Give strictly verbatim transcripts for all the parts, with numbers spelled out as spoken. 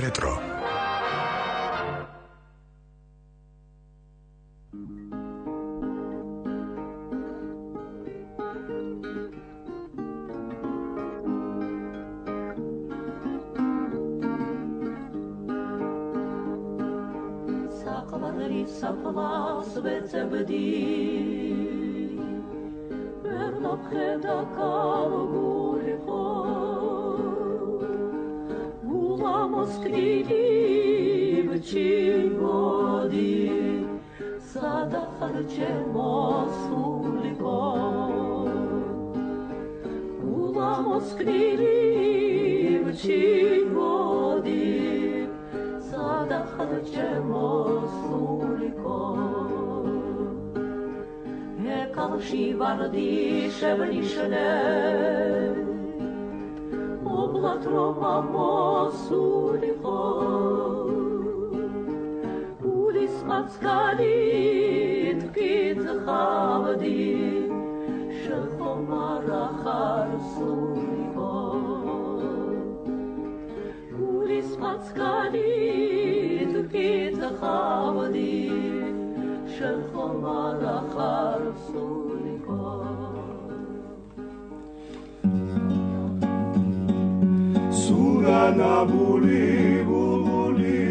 Retro. Saplas vecebdi Verno kheda kalgulho Ula moskvili vchigodi Sada kharche mosuliko Ula moskvili vchigodi Sada kharche mosuliko Kalshi vardi shevnishne Oblatroma mosuliko Ulis matskalit kitzchavdi Shechomara charsuliko Ulis matskalit kitzchavdi Shechomar achar suliko Surana buli bulbuli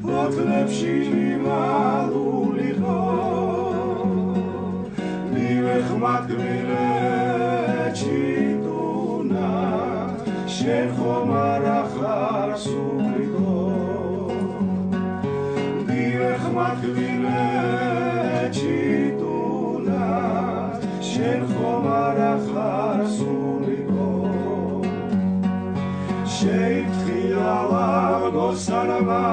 Otlevshi maluliko Nivechmat gmile chituna Shechomar achar suliko Makvile chituna shen khomar achar suliko Sheit khiyala gosanama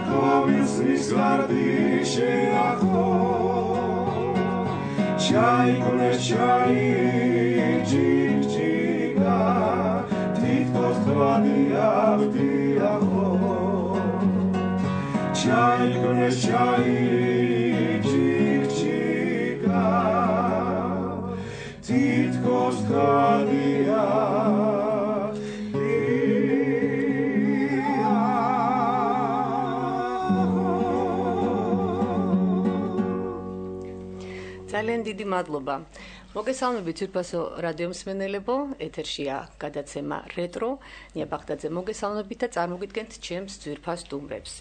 Komis nisvardi sheyacho Chai kone chai chik chika Titkos tvadi avdi acho Chai kone chai chik chika Titkos kadia ძალიან დიდი მადლობა. მოგესალმებით ძვირფასო რადიო მსმენელებო, ეთერშია გადაცემა Retro. ნია ბაღდაძე მოგესალმებით და წარმოგიდგენთ ჩემს ძვირფას სტუმრებს.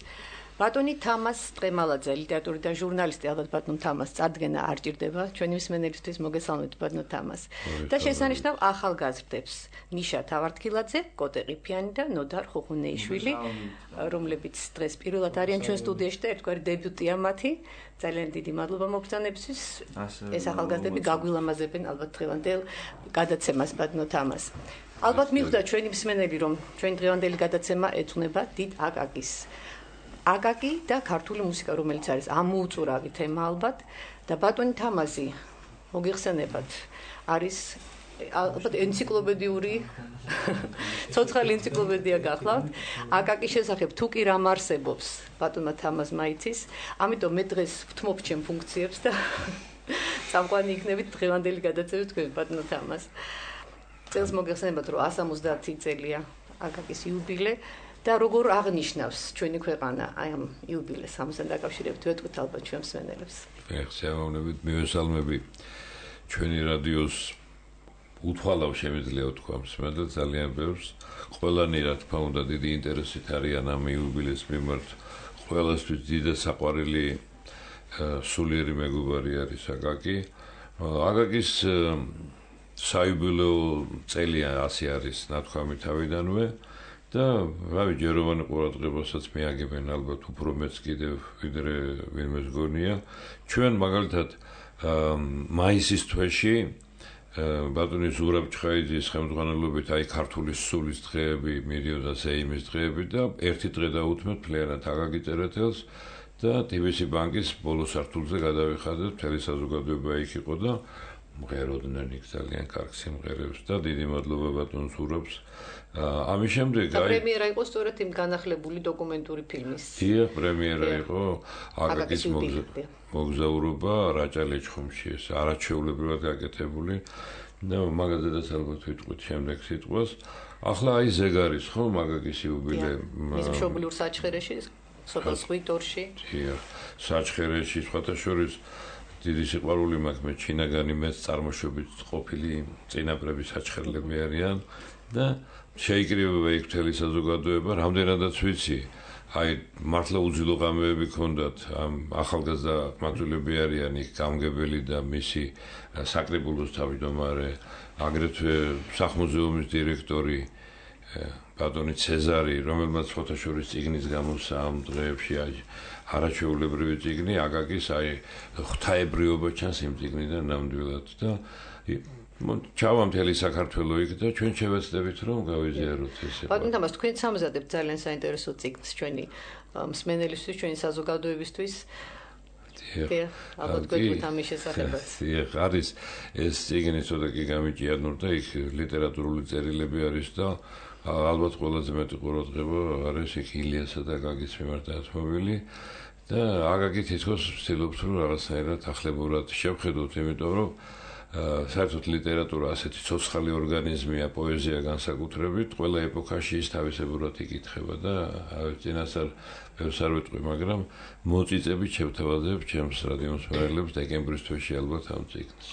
ბატონი თამას ტრემალაძე, ლიტერატურის და ჟურნალისტი, ალბათ ბატონ თამას წარდგენა არ ჭირდება, ჩვენი მსმენელებისთვის მოგესალმებით ბატონ თამას. და შესანიშნავ ახალგაზრდებს, ნიშა თავარდქილაძე, კოტე ყიფიანი და ნოდარ ხუხუნეიშვილი, რომლებიც დღეს პირველად არიან ჩვენ სტუდიაში და ერთგვარი დებიუტია მათი. ძალიან დიდი მადლობა მოგზაურობისთვის. ეს ახალგაზრდები გაგვილამაზებენ ალბათ დღევანდელ გადაცემას ბატონ თამას. ალბათ მიხვდა ჩვენი მსმენელი, რომ ჩვენი დღევანდელი გადაცემა ეძღვნება დიდ აკაკის აკაკი და ქართული მუსიკა, რომელიც არის ამოუწურავი თემა ალბათ და ბატონი თამაზი მოგიხსენებათ არის ალბათ ენციკლოპედიური ცოცხალი ენციკლოპედია გახლავთ აკაკის შესახებ თუ კი რამ არსებობს ბატონმა თამაზმა იცის, ამიტომ მე დღეს ვთმობ ჩემ ფუნქციებს და წამყვანი იქნებით დღევანდელი გადაცემის თქვენ ბატონო თამას. წელს მოგიხსენებათ რომ εκατს ოცდაათი წელია აკაკის იუბილე და როგორ აღნიშნავს ჩვენი ქვეყანა აი ამ იუბილეს ამასთან დაკავშირებით ვეთქვით ალბათ ჩვენ მსმენელებს. ეხსიამოვნებით მივესალმები ჩვენი რადიოს უთვალავ შემიძლია ვთქვა მსმენელს ძალიან ბევრს. ყველანი რა თქმა უნდა დიდი ინტერესით არიან ამ იუბილეს მიმართ. ყველასთვის დიდი საყვარელი სულიერი მეგობარი არის აკაკი. აკაკის საიუბილეო წელი ასე არის ნათქვამი თავიდანვე. და რავი ჯეროვანი ყურადღებასაც მიაგებენ ალბათ უფრო მეც კიდევ ვიდრე ვინმე გონია ჩვენ მაგალითად მაისის თვეში ბატონი ზურაბ ჩხაიძის ხელმძღვანელობით აი ქართული სულის დღეები მიდიოდა ზეიმის დღეები და ერთი დღე დაუთმეთ ფლიანად აკაკი წერეთელს და ტიბისი ბანკის ბოლო სართულზე გადავიხადეთ მთელი საზოგადოება იქ იყო და მღეროდნენ იქ ძალიან კარგ სიმღერებს და დიდი მადლობა ბატონ ზურაბს ამის შემდეგ აი პრემიერა იყო სწორედ იმ განახლებული დოკუმენტური ფილმის. დიახ, პრემიერა იყო აკაკის მოგზაურობა რაჭა-ლეჩხუმში, ეს არაჩვეულებრივად გაკეთებული და მაგალითად ალბათ ვიტყვით შემდეგ სიტყვას ახლა აი ზეგარის ხო მაგაკის იუბილე. მის მშობლიურ საჩხერეში, სოფელ ზღვიტორში. დიახ, საჩხერეში სხვათა შორის დიდი სიყვარული მაქვს მე ჩინაგანი მეც წარმოშობით ყოფილი წინაპრების საჩხერლები არიან და შეიკრიბება იქ მთელი საზოგადოება, რამდენადაც ვიცი. აი მართლა უძილო ღამეები ქონდათ ამ ახალგაზრდა მათულები არიან იქ გამგებელი და მისი საკრებულოს თავმჯდომარე აგრეთვე სახმუზეუმის დირექტორი ბატონი ცეზარი რომელმაც ფოტოშორის წიგნის გამოსა ამ დღეებში არაჩვეულებრივი წიგნი აკაკის აი ღვთაებრიობა ჩანს იმ წიგნიდან ნამდვილად და ჩავა მთელი საქართველო იქ და ჩვენ შევეცდებით რომ გავიზიაროთ ესე. ბატონ თამას თქვენ სამზადებთ ძალიან საინტერესო წიგნს ჩვენი მსმენელისთვის, ჩვენი საზოგადოებისთვის. დიახ, ალბათ გვეუბნით ამის შესახებაც. დიახ, არის ეს წიგნი ცოტა კი გამიჭიანურ და იქ ლიტერატურული წერილები არის და ალბათ ყველაზე მეტი ყურადღება არის იქ ილიასა და აკაკის მიმართ დათმობილი და აკაკი თითქოს ვცდილობს რომ რაღაცნაირად ახლებურად შევხედოთ, იმიტომ რომ საერთოდ ლიტერატურა ასეთი ცოცხალი ორგანიზმია, პოეზია განსაკუთრებით, ყველა ეპოქაში ის თავისებურად იკითხება და წინასწარ ბევრს არ ვიტყვი, მაგრამ მოწიწებით შევთავაზებ ჩემს რადიო მსმენელებს დეკემბრის თვეში ალბათ ამ წიგნს.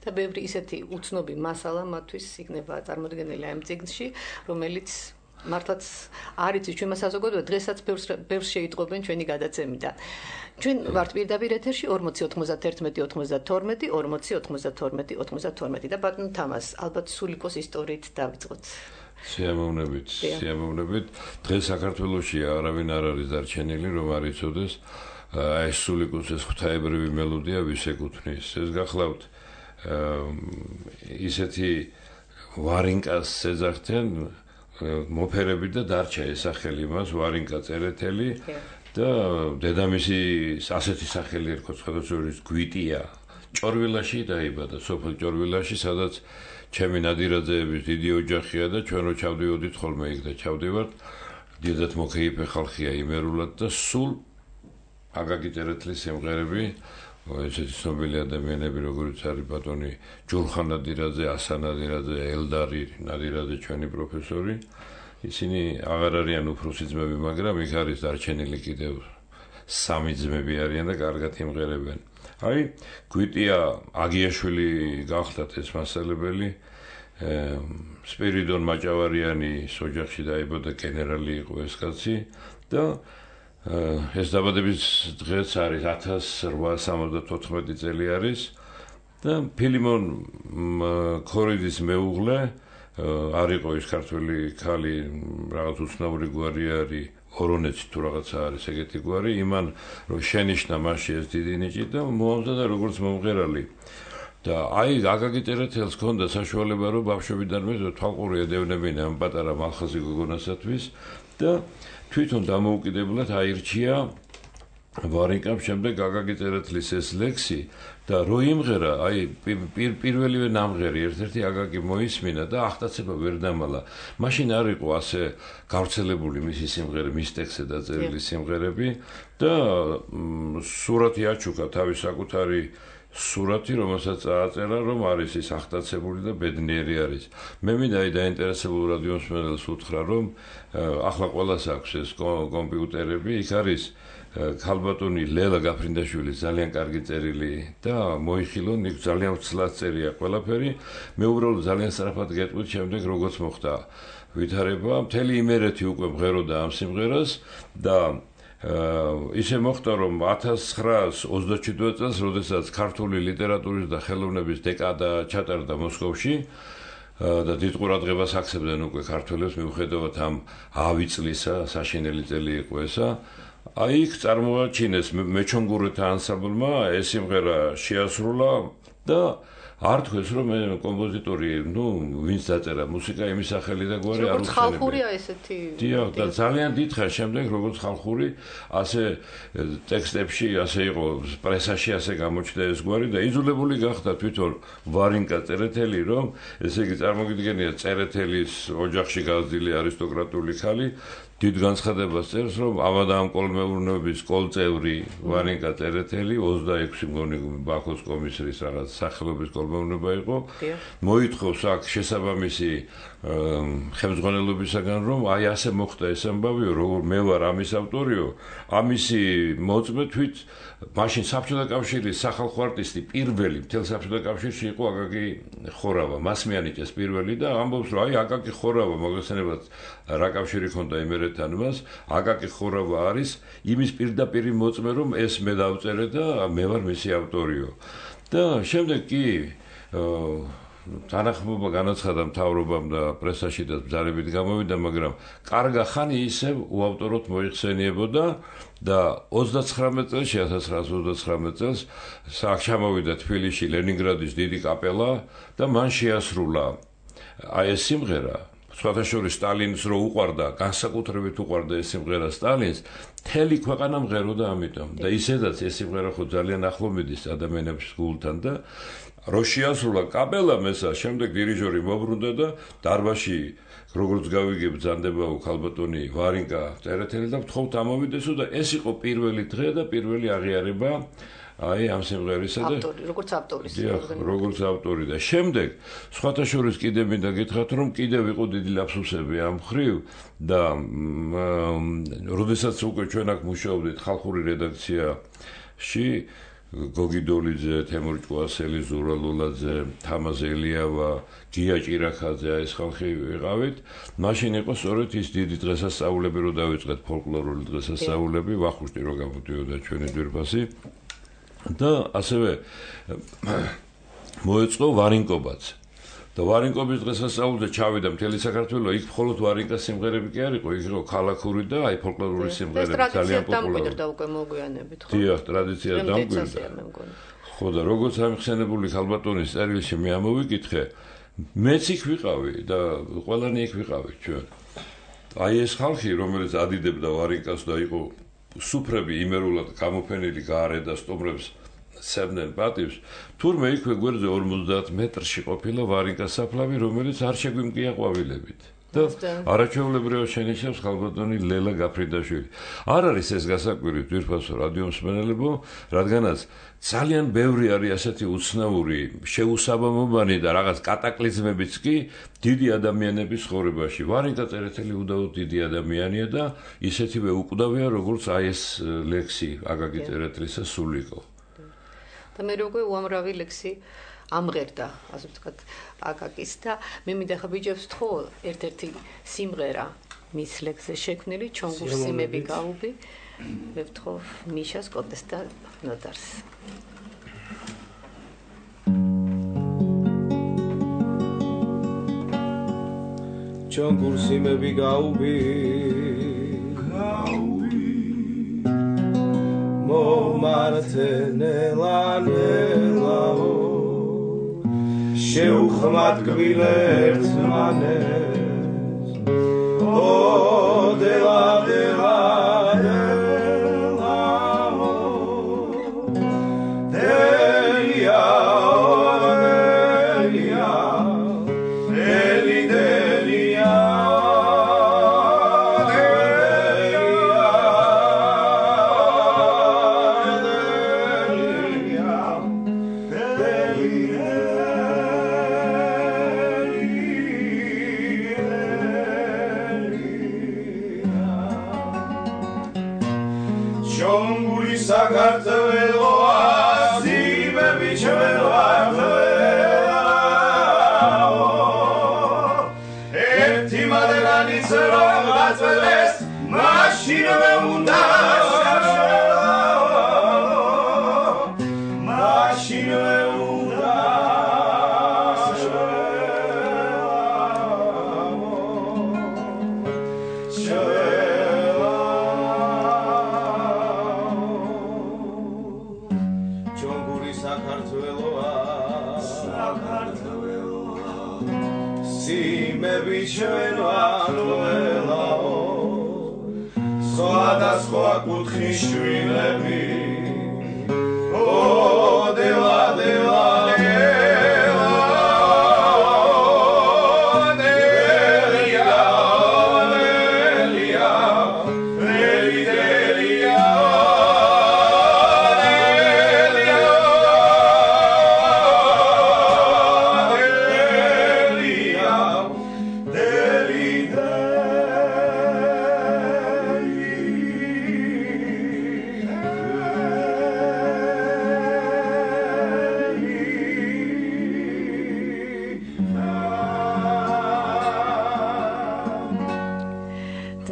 და ბევრი ისეთი უცნობი მასალა მათთვის იქნება წარმოდგენილი ამ წიგნში, რომელიც მართლაც არ იცის ჩვენმა საზოგადოებამ დღესაც ბევრს ბევრს შეიტყობენ ჩვენი გადაცემიდან. ჩვენ ვართ პირდაპირ ეთერში ორმოცი ოცდაერთი ოცდათორმეტი ორმოცი ოცდათორმეტი ოცდათორმეტი და ბატონ თამას ალბათ სულიკოს ისტორიით დავიწყოთ. სიამოვნებით, სიამოვნებით. დღეს საქართველოში არავინ არ არის დარჩენილი რომ არ იცოდეს აი სულიკოს ეს ღვთაებრივი მელოდია ვის ეკუთვნის. ეს გახლავთ ისეთი ვარინკას ეძახდნენ მოფერები და დარჩა ეს სახელი მას ვარინკა წერეთელი და დედამისი ასეთი სახელი ერქვა სხვადასხვა გვიტია ჭორვილაში დაიბადა სოფელ ჭორვილაში სადაც ჩემი ნადირაძეების დიდი ოჯახია და ჩვენ რო ჩავდივოდით ხოლმე იქ და ჩავდივართ დიდად მოკეიფე ხალხია იმერულად და სულ აკაკი წერეთლის სიმღერები ესეთი ცნობილი ადამიანები როგორიც არის ბატონი ჯურხან ნადირაძე, ასან ნადირაძე, ელდარი ნადირაძე ჩვენი პროფესორი ისინი აღარ არიან უფროსი ძმები, მაგრამ იქ არის დარჩენილი კიდევ სამი ძმები არიან და კარგად იმღერებენ. აი, გვიტია აგიაშვილი გახლდათ ეს მასალებელი, სპირიდონ მაჭავარიანის ოჯახში დაიბადა გენერალი იყო ეს კაცი და ეს დაბადების დღეც არის ათას რვაას სამოცდათოთხმეტი წელი არის და ფილიმონ ქორიძის მეუღლე არ იყო ის ქართველი ქალი რაღაც უცნაური გვარი არის ორონეცი თუ რაღაცა არის ეგეთი გვარი იმან რომ შენიშნა მასში ეს დიდი ნიჭი და მოამზადა როგორც მომღერალი და აი აკაკი წერეთელს ჰქონდა საშუალება რომ ბავშვობიდანვე თვალყური ედევნებინა ამ პატარა მალხაზი გოგონასათვის და თვითონ დამოუკიდებლად აირჩია ვარინკამ შემდეგ აკაკი წერეთლის ეს ლექსი და რო იმღერა აი პირველივე ნამღერი ერთ-ერთი აკაკი მოისმინა და ახტაცება ვერ დამალა მაშინ არ იყო ასე გავრცელებული მისი სიმღერები მის ტექსტზე დაწერილი სიმღერები და სურათი აჩუქა თავის საკუთარი სურათი რომელსაც აწერა რომ არის ის ახტაცებული და ბედნიერი არის მე მინდა აი დაინტერესებულ რადიო მსმენელს უთხრა რომ ახლა ყველას აქვს ეს კომპიუტერები იქ არის ქალბატონი ლელა გაფრინდაშვილი ძალიან კარგი წერილი და მოიხილონ იქ ძალიან ცლად წერია ყველაფერი მე უბრალოდ ძალიან სწრაფად გეტყვით შემდეგ როგორც მოხდა ვითარება მთელი იმერეთი უკვე მღეროდა ამ სიმღერას და ისე მოხდა რომ ათას ცხრაას ოცდაჩვიდმეტ წელს როდესაც ქართული ლიტერატურის და ხელოვნების დეკადა ჩატარდა მოსკოვში და დიდ ყურადღებას აქცევდნენ უკვე ქართველებს მიუხედავად ამ ავი წლისა საშინელი წელი იყო ესა აი იქ წარმოაჩინეს მეჩონგურეთა ანსამბლმა ეს სიმღერა შეასრულა და არ თქვეს რომ მე კომპოზიტორი ნუ ვინც დაწერა მუსიკა იმის სახელი და გვარი არ უხსენებია ხალხურია ესეთი დიახ და ძალიან დიდხანს შემდეგ როგორც ხალხური ასე ტექსტებში ასე იყო პრესაში ასე გამოჩნდა ეს გვარი და იძულებული გახდა თვითონ ვარინკა წერეთელი რომ ესე იგი წარმოგიდგენია წერეთელის ოჯახში გაზრდილი არისტოკრატული ხალი დიდ განცხადებას წერს რომ ავადმკოლმეურნეობის კოლწევრი ვარინკა წერეთელი ოცდაექვსი მგონი ბაქოს კომისრის რაღაც სახელობის მუშაობა უნდა იყოს. მოითხოვს აქ შესაბამისი ხელმძღვანელობისაგან რომ აი ასე მოხდა ეს ამბავიო, როგორ მე ვარ ამის ავტორიო, ამისი მოწმე თვით მაშინ საბჭოთა კავშირის სახალხო არტისტი პირველი მთელ საბჭოთა კავშირში იყო აკაკი ხორავა, მას მიანიჭეს პირველი და ამბობს რომ აი აკაკი ხორავა მოგესწრებათ რა კავშირი ქონდა იმერეთთან მას, აკაკი ხორავა არის იმის პირდაპირი მოწმე რომ ეს მე დავწერე და მე ვარ მისი ავტორიო. და შემდეგ კი თანახმობა განაცხადა მთავრობამ და პრესაში და ბრძანებით გამოვიდა, მაგრამ კარგა ხანი ისევ უავტოროდ მოიხსენიებოდა და ოცდაცხრამეტ წელს, ათას ცხრაასა ოცდაცხრამეტ წელს აქ ჩამოვიდა თბილისში ლენინგრადის დიდი კაპელა და მან შეასრულა აი ეს სიმღერა. სხვათა შორის სტალინს რო უყვარდა, განსაკუთრებით უყვარდა ეს სიმღერა სტალინს, მთელი ქვეყანა მღეროდა ამიტომ და ისედაც ეს სიმღერა ხო ძალიან ახლო მიდის ადამიანების გულთან და რო შეასრულა კაპელამ ესა, შემდეგ დირიჟორი მოbrunდა და დარბაზში როგორც გავიგებ ბრძანდებაო ქალბატონი ვარინკა წერეთელი და ვთხოვთ ამოვიდესო და ეს იყო პირველი დღე და პირველი აღიარება აი ამ სიმღერისა და ავტორი, როგორც ავტორის. როგორც ავტორი და შემდეგ სხვათა შორის კიდე მინდა გითხრათ რომ კიდევ იყო დიდი ლაფსუსები ამ ხრივ და როდესაც უკვე ჩვენ აქ მუშაობდით ხალხური რედაქციაში გოგი დოლიძე, თემურ ჭკუასელი, ზურა ლულაძე, თამაზ ელიავა, გია ჭირაქაძე აი ეს ხალხი ვიყავით. მაშინ იყო სწორედ ის დიდი დღესასწაულები რო დავიწყეთ ფოლკლორული დღესასწაულები, ვახუშტი რო გამოდიოდა ჩვენი ძვირფასი. და ასევე მოეწყო ვარინკობაც. და ვარინკობის დღესასწაულზე ჩავიდა მთელი საქართველო, იქ მხოლოდ ვარინკას სიმღერები კი არ იყო, იქ იყო ქალაქური და აი ფოლკლორული სიმღერები ძალიან პოპულარული. და უკვე მოგვიანებით, ხო? დიახ, ტრადიცია დამკვიდრდა. ხო და როგორც ამხსენებული ქალბატონის წერილში მე ამოვიკითხე, მეც იქ ვიყავი და ყველანი იქ ვიყავით ჩვენ. აი ეს ხალხი, რომელიც ადიდებდა ვარინკას და იყო სუფრები იმერულად გამოფენილი გარე და სტუმრებს სცემდნენ პატივს, თურმე იქვე გვერდზე ორმოცდაათ მეტრში ყოფილა ვარინკას საფლავი, რომელიც არ შეგვიმკია ყვავილებით. და არაჩვეულებრივად შენიშნავს ქალბატონი ლელა გაფრინდაშვილი. არ არის ეს გასაკვირი ძვირფასო რადიო მსმენელებო, რადგანაც ძალიან ბევრი არის ასეთი უცნაური, შეუსაბამობანი და რაღაც კატაკლიზმებიც კი დიდი ადამიანების ცხოვრებაში. ვარინკა წერეთელი უდაოდ დიდი ადამიანია და ისეთივე უკვდავია, როგორც აი ეს ლექსი აკაკი წერეთლისა სულიკო. და მე როგორ უამრავი ლექსი ამღერდა, ასე ვთქვათ, აკაკის და მე მინდა ხა ბიჭებს ვთხოვ ერთ-ერთი სიმღერა მის ლექსზე შექმნილი ჩონგურ სიმები გაუბი. მე ვთხოვ მიშას კოტეს და ნოდარს. ჩონგურ სიმები გაუბი გაუბი მომართენელანელაო შეუხმად გვილერთ მანეს ო დელა დელა დელაო დელია დელია დელი დელია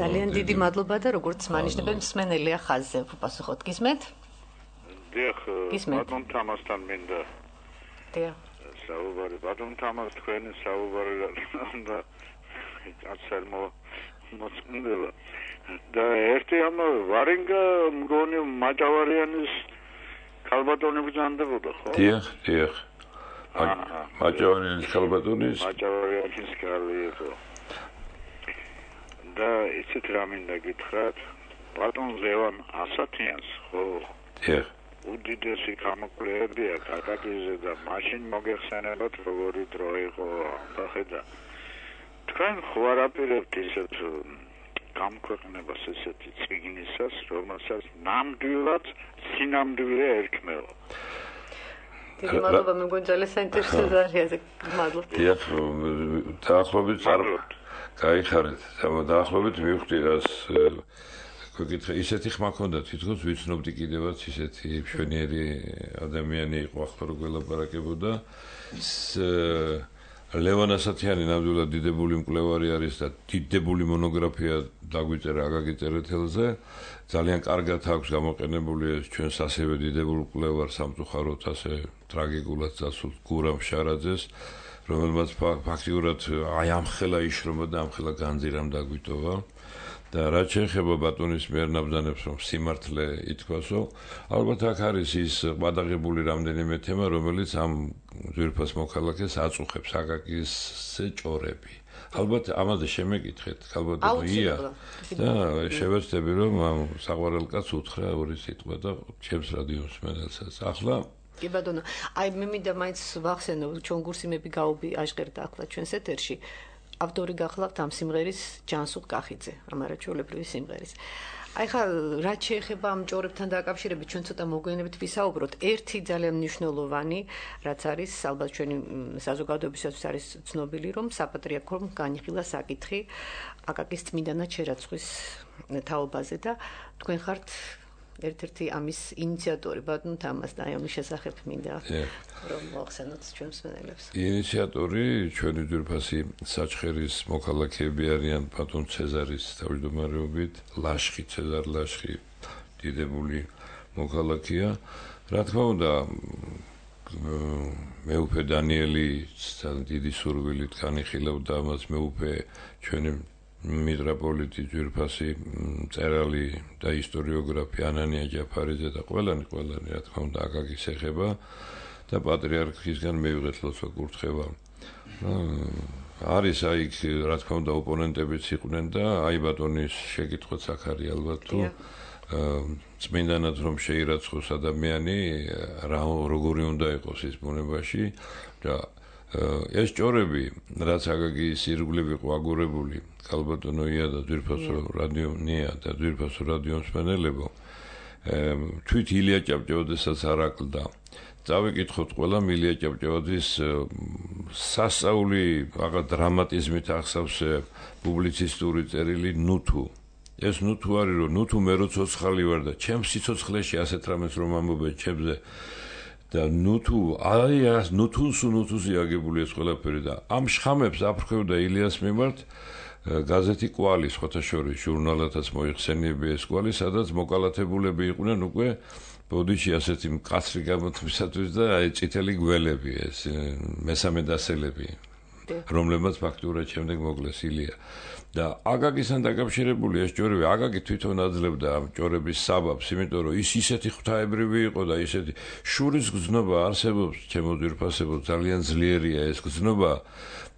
ძალიან დიდი მადლობა და როგორც მანიშნებენ მსმენელია ხაზზე უპასუხოთ გისმენთ? დიახ, ბატონ თამასთან მინდა. დიახ. საუბარი ბატონ თამას თქვენი საუბარი და აცერმო მოწმდება. და ერთი ამ ვარენგა მგონი მაჭავარიანის ქალბატონი ბრძანდებოდა, ხო? დიახ, დიახ. მაჭავარიანის ქალბატონის მაჭავარიანის ქალი იყო. და ისეთ რამ მინდა გითხრათ, ბატონ ლევან ასათიანს, ხო? დიახ. უდიდესი გამოკვლევებია კაკაკიზე და მაშინ მოგეხსენებათ როგორი დრო იყო ახლა. თქვენ ხო არაპირებთ ისეთ გამქვეყნებას ესეთი წიგნისას, რომელსაც ნამდვილად სინამდვილე ერქმევა. დიდი მადლობა, მე მგონი ძალიან საინტერესო ძალიან მადლობა. დიახ, დაახლოებით წარმოთ. გაიხარეთ, დაახლოებით მივხვდი რას გეკითხე, ისეთი ხმა ქონდა თვითონ ვიცნობდი კიდევაც ისეთი მშვენიერი ადამიანი იყო ახლა რო გველაპარაკებოდა. ლევან ასათიანი ნამდვილად დიდებული მკვლევარი არის და დიდებული მონოგრაფია დაგვიწერა აკაკი წერეთელზე. ძალიან კარგად აქვს გამოყენებული ეს ჩვენს ასევე დიდებულ მკვლევარ სამწუხაროდ ასე ტრაგიკულად წასულ გურამ შარაძეს, რომელმაც ფაქტიურად აი ამხელა იშრომა და ამხელა განძირამ დაგვიტოვა. და რაც შეეხება ბატონის მიერ ნაბრძანებს რომ სიმართლე ითქვასო, ალბათ აქ არის ის გადაღებული რამდენიმე თემა, რომელიც ამ ძვირფას მოქალაქეს აწუხებს აკაკის ჭორები. ალბათ ამაზე შემეკითხეთ, ქალბატონო ია და შევეცდები რომ ამ საყვარელ კაცს უთხრა ორი სიტყვა და ჩემს რადიო მსმენელსაც. ახლა კი ბატონო, აი მე მინდა მაინც ვახსენო, ჩვენ გურსიმები გაუბი აშღერდა ახლა ჩვენს ეთერში. ავტორი გახლავთ ამ სიმღერის ჯანსუღ კახიძე, ამ არაჩვეულებრივი სიმღერის. აი ხა რაც შეეხება ამ ჭორებთან დაკავშირებით ჩვენ ცოტა მოგვიანებით ვისაუბროთ. ერთი ძალიან მნიშვნელოვანი, რაც არის ალბათ ჩვენი საზოგადოებისთვის არის ცნობილი, რომ საპატრიარქომ განიხილა საკითხი აკაკის წმინდანად შერაცხვის თაობაზე და თქვენ ხართ ერთ-ერთი ამის ინიციატორი, ბატონ თამას და აი ამის შესახებ მინდა რომ მოახსენოთ ჩვენ მსმენელებს. ინიციატორი ჩვენი ძვირფასი საჩხერის მოქალაქეები არიან ბატონ ცეზარის თავმჯდომარეობით, ლაშხი ცეზარ ლაშხი დიდებული მოქალაქეა. რა თქმა უნდა, მეუფე დანიელი დიდი სურვილით განიხილავდა ამას, მეუფე ჩვენი მიტროპოლიტი ძვირფასი მწერალი და ისტორიოგრაფი ანანია ჯაფარიძე და ყველანი ყველანი რა თქმა უნდა აკაკის ეხება და პატრიარქისგან მივიღეთ ლოცვა კურთხევა. არის აი რა თქმა უნდა ოპონენტებიც იყვნენ და აი ბატონის შეკითხვაც აქ არის ალბათ თუ წმინდანად რომ შეირაცხოს ადამიანი რა როგორი უნდა იყოს ის ბუნებაში და ეს ჭორები რაც აკაკის ირგვლივ იყო აგორებული ქალბატონო ია და ძვირფასო რადიო ნია და ძვირფასო რადიო მსმენელებო თვით ილია ჭავჭავაძესაც არ აკლდა. წავიკითხოთ ყველა ილია ჭავჭავაძის სასწაული რაღაც დრამატიზმით ახსავსე პუბლიცისტური წერილი ნუთუ. ეს ნუთუ არის რომ ნუთუ მე რო ცოცხალი ვარ და ჩემს სიცოცხლეში ასეთ რამეს რომ ამბობენ ჩემზე და ნუთუ აი ეს ნუთუს ნუთუზი აგებული ეს ყველაფერი და ამ შხამებს აფრქვევდა ილიას მიმართ გაზეთი კვალი სხვათა შორის ჟურნალათაც მოიხსენიებია ეს კვალი, სადაც მოკალათებულები იყვნენ უკვე ბოდიში ასეთი მკაცრი გამოთვლისათვის და აი წითელი გველები ეს მესამე დასელები რომლებმაც ფაქტურად შემდეგ მოკლეს ილია და აკაკისთან დაკავშირებული ეს ჭორები აკაკი თვითონ აძლევდა ამ ჭორების საბაბს, იმიტომ რომ ის ისეთი ღვთაებრივი იყო და ისეთი შურის გზნობა არსებობს ჩემო ძვირფასებო ძალიან ძლიერია ეს გზნობა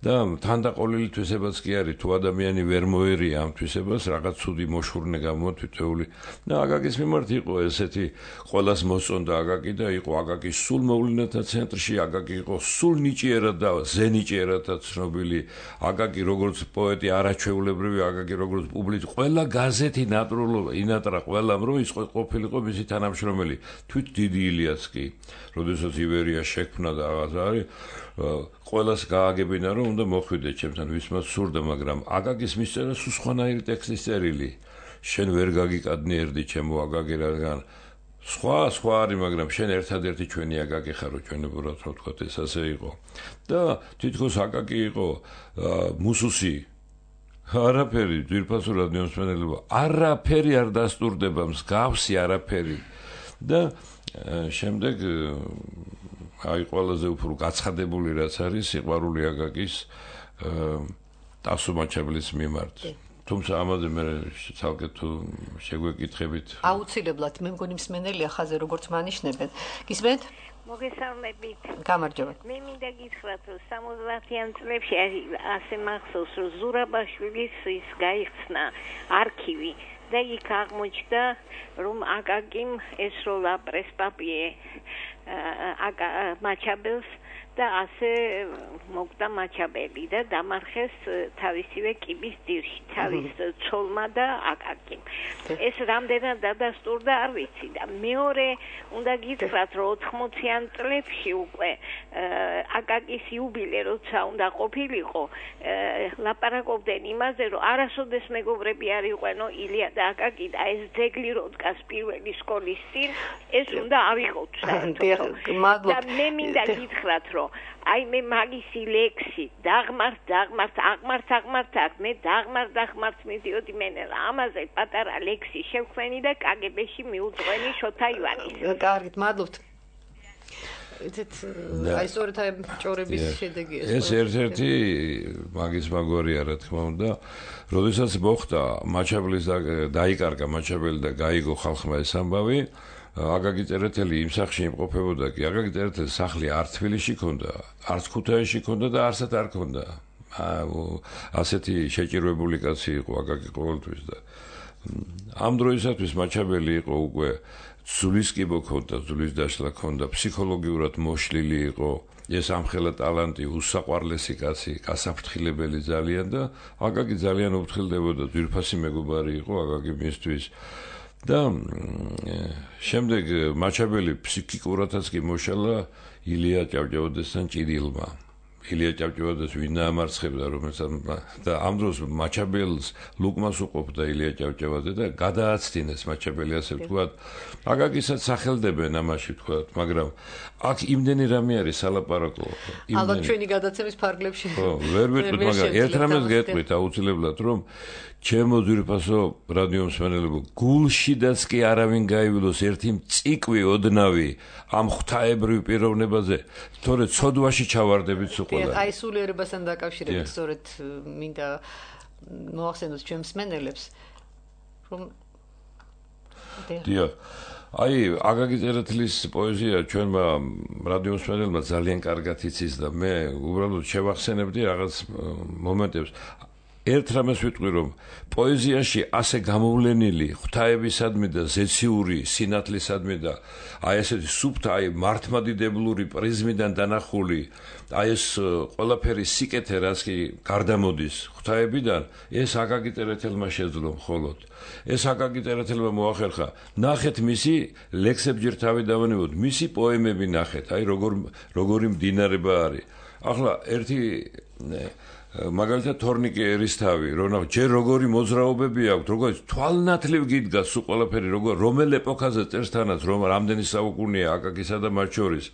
და თანდაყოლილი თვისებაც კი არის თუ ადამიანი ვერ მოერია ამ თვისებას რაღაც ცუდი მოშურნე გამოთვითეული და აკაკის მიმართ იყო ესეთი ყოველას მოსწონდა აკაკი და იყო აკაკის სულ მოვლენათა ცენტრში აკაკი იყო სულ ნიჭიერად და ზენიჭიერადაც ცნობილი აკაკი როგორც პოეტი არაჩვეულებრივი აკაკი როგორც პუბლიცი ყველა გაზეთი ნატრულობა ინატრა ყველამ რომ ის ყოფილიყო მისი თანამშრომელი თვით დიდი ილიაც კი როდესაც ივერია შექმნა და რაღაც არის ყველას გააგებინა რომ უნდა მოხვიდე ჩემთან ვისმაც სურდა მაგრამ აკაკის მისწერა სულ სხვანაირი ტექსტის წერილი შენ ვერ გაგიკადნი ერდი ჩემო აკაკი რადგან სხვა სხვა არის მაგრამ შენ ერთადერთი ჩვენი აკაკი ხარო ჩვენებურად რო ვთქვათ ეს ასე იყო და თითქოს აკაკი იყო მუსუსი არაფერი ძვირფასო რადიომსმენელებო არაფერი არ დასტურდება მსგავსი არაფერი და შემდეგ აი ყველაზე უფრო გაცხადებული რაც არის სიყვარული აკაკის ტასო მაჩაბლის მიმართ თუმცა ამაზე მე ცალკე თუ შეგვეკითხებით აუცილებლად მე მგონი მსმენელია ხაზე როგორც მანიშნებენ გისმენთ მოგესალმებით. გამარჯობა. მე მინდა გითხრათ, რომ სამოცდაათიან წლებში ასე მახსოვს, რომ ზურაბაშვილის ის გაიხსნა არქივი და იქ აღმოჩნდა, რომ აკაკიმ ესროლა პრესპაპიე აკა მაჩაბელს და ასე მოგდა მაჩაბელი და დამარხეს თავისივე კიბის დირში, თავის ცოლმა და აკაკიმ. ეს რამდენად დადასტურდა არ ვიცი და მეორე უნდა გითხრათ, რომ ოთხმოციან წლებში უკვე აკაკის იუბილე როცა უნდა ყოფილიყო, ლაპარაკობდნენ იმაზე, რომ არასოდეს მეგობრები არ იყვენო ილია და აკაკი და ეს ძეგლი რო დგას პირველი სკოლის წინ, ეს უნდა ავიღოთ საერთოდ. და მე მინდა გითხრათ, რომ აი მე მაგისი ლექსი დაღმართ დაღმართ აღმართ აღმართ აქ მე დაღმართ დაღმართ მიდიოდი მე ამაზე პატარა ლექსი შევხვენი და კაგებეში მიუძღვენი შოთა ივანის. კარგით, მადლობთ. იცით, აი სწორედ აი ჭორების შედეგია. ეს ერთ-ერთი მაგის მაგვარია რა თქმა უნდა, როდესაც მოხდა მაჩაბლის დაიკარგა მაჩაბელი და გაიგო ხალხმა ეს ამბავი აკაკი წერეთელი იმ სახლში იმყოფებოდა კი აკაკი წერეთელის სახლი არ თბილისში ქონდა, არც ქუთაისში ქონდა და არსად არ ქონდა. ასეთი შეჭირვებული კაცი იყო აკაკი ყოველთვის და ამ დროისათვის მაჩაბელი იყო უკვე ზულისკიბო ქონდა, ზულის დაშლა ქონდა, ფსიქოლოგიურად მოშლილი იყო, ეს ამხელა ტალანტი, უსაყვარლესი კაცი, გასაფრთხილებელი ძალიან და აკაკი ძალიან უფრთხილდებოდა, ძვირფასი მეგობარი იყო აკაკი მისთვის. და შემდეგ მაჩაბელი ფსიქიკურადაც კი მოშალა ილია ჭავჭავაძესთან ჭიდილმა. ილია ჭავჭავაძეს ვინ დაამარცხებდა, რომელსაც და ამ დროს მაჩაბელს ლუკმას უყოფდა ილია ჭავჭავაძე და გადააცდინეს მაჩაბელი ასე ვთქვათ. აკაკისაც სახელდებენ ამაში ვთქვათ, მაგრამ აქ იმდენი რამე არის სალაპარაკო. ალბათ ჩვენი გადაცემის ფარგლებში. ხო, ვერ ვიტყვით, მაგრამ ერთ რამეს გეტყვით აუცილებლად, რომ ჩემო ძვირფასო რადიომსმენელებო, გულშიდაც კი არავინ გაივილოს ერთი მწიკვი ოდნავი ამ ღვთაებრივ პიროვნებაზე, თორე ცოდვაში ჩავარდებით სულ. აი სულიერებასთან დაკავშირებით სწორედ მინდა მოახსენოთ ჩვენ მსმენელებს, რომ დიახ. აი აკაკი წერეთლის პოეზია ჩვენმა რადიომსმენელებმა ძალიან კარგად იცის და მე უბრალოდ შევახსენებდი რაღაც მომენტებს. ერთ რამეს ვიტყვი, რომ პოეზიაში ასე გამოვლენილი ღვთაებისადმი და ზეციური სინათლისადმი და აი ესეთი სუფთა, აი მართმადიდებლური პრიზმიდან დანახული, აი ეს ყველაფერი სიკეთე, რაც კი გარდამოდის ღვთაებიდან, ეს აკაკი წერეთელმა შეძლო მხოლოდ. ეს აკაკი წერეთელმა მოახერხა. ნახეთ მისი ლექსებჯერ თავი დავანებოთ, მისი პოემები ნახეთ, აი როგორ როგორი მდინარება არის. ახლა ერთი მაგალითად თორნიკე ერისთავი, რომ ჯერ როგორი მოძრაობები აქვს, როგორ თვალნათლივ გიდგას სულ ყველაფერი, როგორ რომელ ეპოქაზე წერს თანაც, რომ რამდენი საუკუნეა აკაკისა და მათ შორის.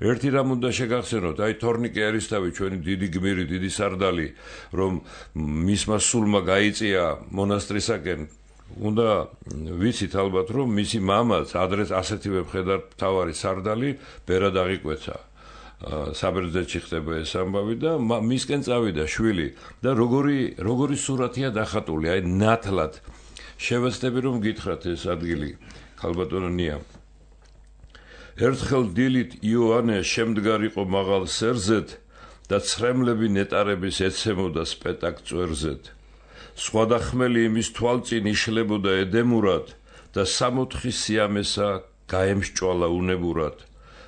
ერთი რამ უნდა შეგახსენოთ, აი თორნიკე ერისთავი, ჩვენი დიდი გმირი, დიდი სარდალი, რომ მისმა სულმა გაიწია მონასტრისაკენ, უნდა ვიცით ალბათ, რომ მისი მამაც ადრეს ასეთივე მხედარ მთავარი სარდალი ბერად აღიკვეცა. საბერძნეთში ხდება ეს ამბავი და მისკენ წავიდა შვილი და როგორი როგორი სურათია დახატული, აი ნათლად. შევეცდები რომ გითხრათ ეს ადგილი, ქალბატონო ნია. ერთხელ დილით იოანე შემდგარიყო მაღალ სერზეთ და ცრემლები ნეტარების ეცემოდა სპეტაკ წვერზეთ. სხვა ხმელი იმის თვალწინ იშლებოდა ედემურად და სამოთხი სიამესა გაემსჭვალა უნებურად.